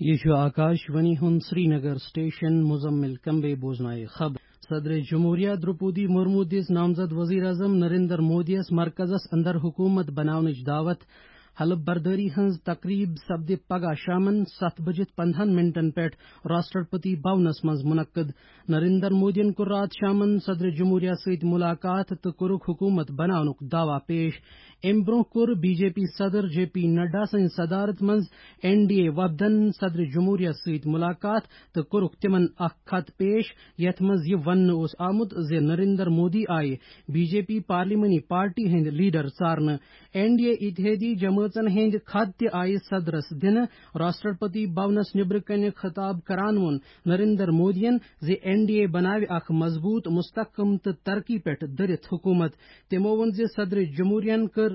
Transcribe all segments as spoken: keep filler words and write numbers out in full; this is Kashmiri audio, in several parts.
یہِ چھُ آکاش وانی ہُنٛد سرینگر سٹیشن۔ مزمل کمبے بوزنایہِ خبر۔ صدر جمہوریہ درپودی مرمو دِژ نامزد وزیر اعظم نریندر مودیَس مرکزس اندر حکومت بناونٕچ دعوت۔ حلف بردٲری ہٕنٛز تقریب سپدِ پگاہ شامن ستھ بجِتھ پندہن منٹن پٮ۪ٹھ راشٹرپتی بھونس منٛز منعقد۔ نریندر مودیَن کوٚر راتھ شامن صدر جمہوریہ سۭتۍ ملاقات تہٕ کوٚرُکھ حکومت بناونُک دعویٰ پیش۔ امہِ برونٛہہ کوٚر بی جے پی صدر جے پی نڈا سٕنٛزِ صدارت منٛز این ڈی اے وفدن صدر جمہوریہ سۭتۍ ملاقات تہٕ کوٚرُکھ تِمن اکھ خط پیش، یتھ منٛز یہِ وننہٕ اوس آمُت زِ نریندر مودی آیہِ بی جے پی پارلیمانی پارٹی ہٕنٛدۍ لیڈر ژارنہٕ۔ این ڈی اے اتحادی جمٲژن ہٕنٛدۍ خط تہِ آیہِ صدرس دِنہٕ۔ راشٹرپتی بھونس نیبرٕ کنہِ خطاب کران ووٚن نریندر مودیَن زِ این ڈی اے بناوِ اکھ مضبوط، مستحکم تہٕ ترقی پٮ۪ٹھ دٔرِتھ حکومت۔ تِمو ووٚن زِ صدر جمہوریہن کٔر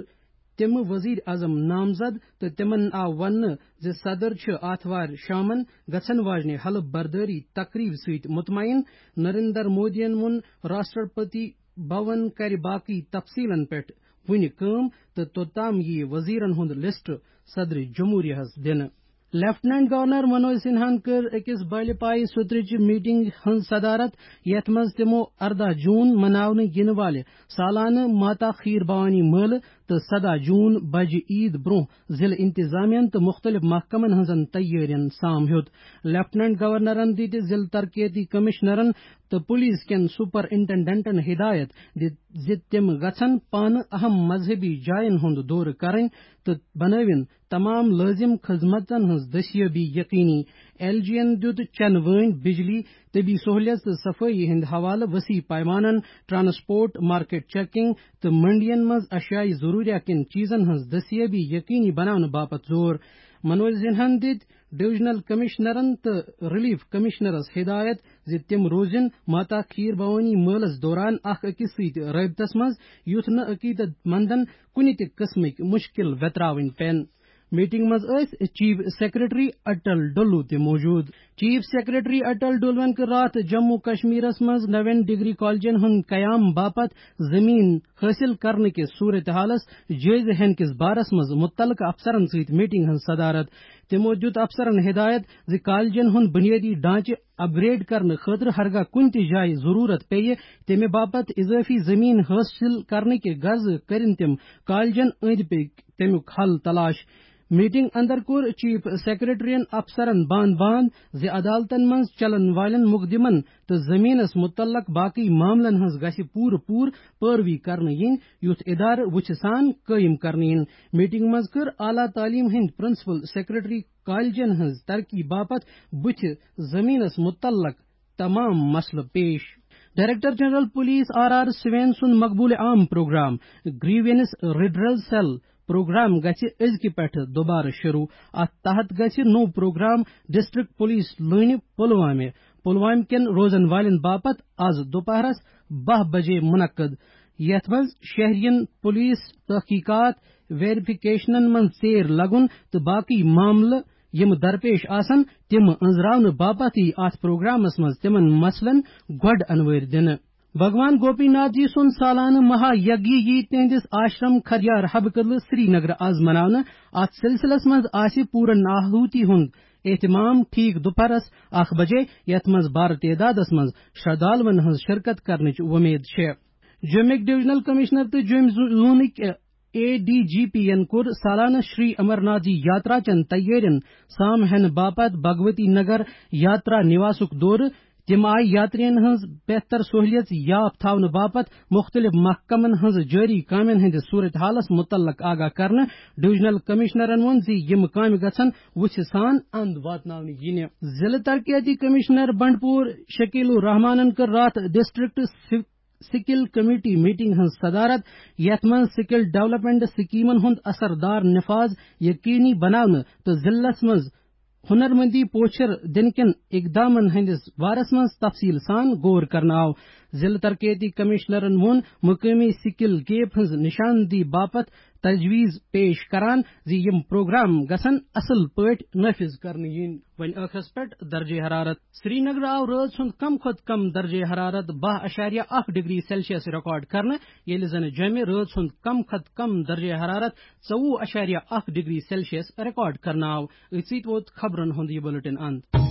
تِم وزیر اعظم نامزد تہٕ تِمن آو وننہٕ زِ صدر چھِ آتھوارِ شامن گژھن واجنہِ حلف بردٲری تقریب سۭتۍ مطمئن۔ نریندر مودیَن ووٚن راشٹرپتی بھون کرِ باقی تفصیلن پٮ۪ٹھ وُنہِ کٲم تہٕ توٚتام یِیہِ وزیرن ہُنٛد لسٹ صدر جمہوریہس دِنہٕ۔ لیفٹیننٹ گورنر منوج سنہاہن کٔر أکِس بالہِ پایہِ سُترٕچہِ میٹنگ ہٕنٛز صدارت، یتھ منٛز تِمو ارداہ جون مناونہٕ یِنہٕ والہِ سالانہٕ ماتا کھیٖر بھوانی مٲلہٕ تہٕ سداہ جون بجہِ عید برونٛہہ ضلعہٕ انتظامیہن تہٕ مُختٔلِف محکمن ہٕنٛزن تیٲرین سام ہیوٚت۔ لیفٹیننٹ گورنرن دِتہِ ضلعہٕ ترقیتی کمشنرن تہٕ پولیس کٮ۪ن سپرنٹنڈنٹن ہدایت دِژ زِ تِم گژھن پانہٕ اہم مذہبی جاین ہُنٛد دورٕ کرٕنۍ تہٕ بنٲوِن تمام لٲزم خدمتن ہٕنٛز دستیٲبی یقینی۔ ایل جی یَن دِیُت چنہٕ وٲنۍ، بجلی، طبی سہولیژ تہٕ صفٲیی ہٕنٛدِ حوالہٕ وسیع پیمانن ٹرانسپورٹ، مارکیٹ چیکنگ تہٕ منڈین منٛز اشیاء ضروریہ کٮ۪ن چیزن ہٕنٛز دستیٲبی یقینی بناونہٕ باپتھ زور۔ منوج سنہاہن دِتۍ ڈویژنل کمشنرن تہٕ ریلیف کمشنرس ہدایت زِ تِم روزن ماتا کھیٖر بھوانی مٲلس دوران اکھ أکِس سۭتۍ رٲبطس منٛز، یُتھ نہٕ عقیدت مندن کُنہِ تہِ قٕسمٕکۍ مُشکِل ویتراوٕنۍ پٮ۪ن۔ میٹنگ منٛز ٲسۍ چیف سیکرٹری اٹل ڈلو تہِ موجود۔ چیف سیکرٹری اٹل ڈلوَن کٔر راتھ جموں کشمیرس منٛز نوین ڈگری کالجن ہُنٛد قیام باپتھ زمین حٲصِل کرنہٕ کِس صورتحالس جٲیزٕ ہینہٕ کِس بارس منٛز مُتعلقہٕ افسرن سۭتۍ میٹنگ ہٕنٛز صدارت۔ تِمو دِیُت افسرن ہدایت زِ کالجن ہُنٛد بُنیٲدی ڈھانچہٕ اپگریڈ کرنہٕ خٲطرٕ ہرگاہ کُنہِ تہِ جایہِ ضروٗرت پیٚیہِ، تَمہِ باپتھ اضٲفی زٔمیٖن حٲصِل کرنٕکہِ غرضہٕ کٔرِن تِم کالجن أنٛدۍ پٔکۍ تَمیُک حل تلاش۔ میٹنگ اندر کوٚر چیف سیکرٹریَن افسرن باند باند زِ عدالتن منٛز چلن والٮ۪ن مقدمن تہٕ زٔمیٖنس مُتعلق باقٕے معاملن ہٕنٛز گژھِ پوٗرٕ پوٗرٕ پٲروی کرنہٕ یِنۍ، یُتھ ادارٕ وُژھِ سان قٲیِم کرنہٕ یِن۔ میٹنگ منٛز کٔر اعلیٰ تعلیٖم ہٕنٛدۍ پرنسپل سیکرٹری کالجن ہٕنٛز ترقی باپتھ بُتھِ زٔمیٖنس مُتعلق تمام مسلہٕ پیش۔ Director general police R R Swain سُنٛد مقبول عام programme grievance redressal cell programme گژھِ أزکہِ پٮ۪ٹھٕ دوبارٕ شروع۔ اتھ تحت گژھِ نوٚو پروگرام ڈسٹرکٹ پولیس لٲنہِ پلوامہِ، پلوامہِ کٮ۪ن روزن والٮ۪ن باپتھ از دُپہرس باہ بجے منعقد، یتھ منٛز شہرین پولیس تحقیقات، ویریفکیشنن منٛز ژیر لگُن تہٕ باقی معاملہٕ یِم درپیش آسن، تِم أنٛزراونہٕ باپتھ یی اتھ پروگرامس منٛز تِمن مسلن گۄڈٕ انوٲرۍ دِنہٕ۔ بھگوان گوپی ناتھ جی سُنٛد سالانہٕ مہا یگی یی تِہنٛدِس آشرم کھجیار حبہٕ کدلہٕ سرینگر از مناونہٕ۔ اتھ سلسلس منٛز آسہِ پوٗرن آہوتی ہُنٛد اہتمام ٹھیک دُپہرس اکھ بجے، یتھ منٛز بارٕ تعدادس منٛز شردالون ہٕنٛز شرکت کرنٕچ وۄمید چھےٚ۔ جوٚمِکۍ ڈویژنل کمشنر تہٕ جوٚمۍ زو-، زونٕکۍ اے ڈی جی پی ین کوٚر سالانہٕ شری امرناتھ جی یاترا چٮ۪ن تیٲرین سام ہینہٕ باپتھ بھگوتی نگر یاترا نِواسُک دورٕ۔ تِم آیہِ یاترین ہٕنٛز بہتر سہولیژ یاف تھاونہٕ باپتھ مُختٔلِف محکمن ہٕنٛز جٲری کامٮ۪ن ہٕنٛدِس صورتحالس مُتعلق آگاہ کرنہٕ۔ ڈویژنل کمشنرن ووٚن زِ یِم کامہِ گژھن وُژھِ سان اند واتناونہٕ یِنہِ۔ ضلعہٕ ترقیتی کمشنر بنڈپور شکیل الرحمانن کٔر راتھ ڈسٹرکٹ سو-، سکل کمیٹی میٹنگ ہٕنٛز صدارت، یتھ منٛز سکل ڈیولپمنٹ سکیمن ہُنٛد اثر دار نفاذ یقینی بناونہٕ تہٕ ضلعس منٛز ہنرمندی پوچھر دِنہٕ کٮ۪ن اقدامن ہٕنٛدِس بارس منٛز تفصیل سان غور کرنہٕ آو۔ ضلع ترقیتی کمشنرن ووٚن مقٲمی سکل گیپ ہٕنٛز نشاندہی باپتھ تجویز پیش کران زِ یِم پروگرام گژھن اصل پٲٹھۍ نافذ کرنہٕ یِنۍ۔ وۄنۍ ٲخرس پٮ۪ٹھ درجہ حرارت۔ سرینگر آو رٲژ ہُنٛد کم کھۄتہٕ کم درجہ حرارت باہ اعشاریہ اکھ ڈگری سیلسیس ریکارڈ کرنہٕ، ییٚلہِ زن جوٚمہِ رٲژ ہُنٛد کم کھۄتہٕ کم درجہ حرارت ژوٚوُہ اعشاریہ اکھ ڈگری سیلسیس ریکارڈ کرنہٕ آو۔ أتھۍ سۭتۍ ووت خبرن ہُنٛد یہِ بلیٹن اند۔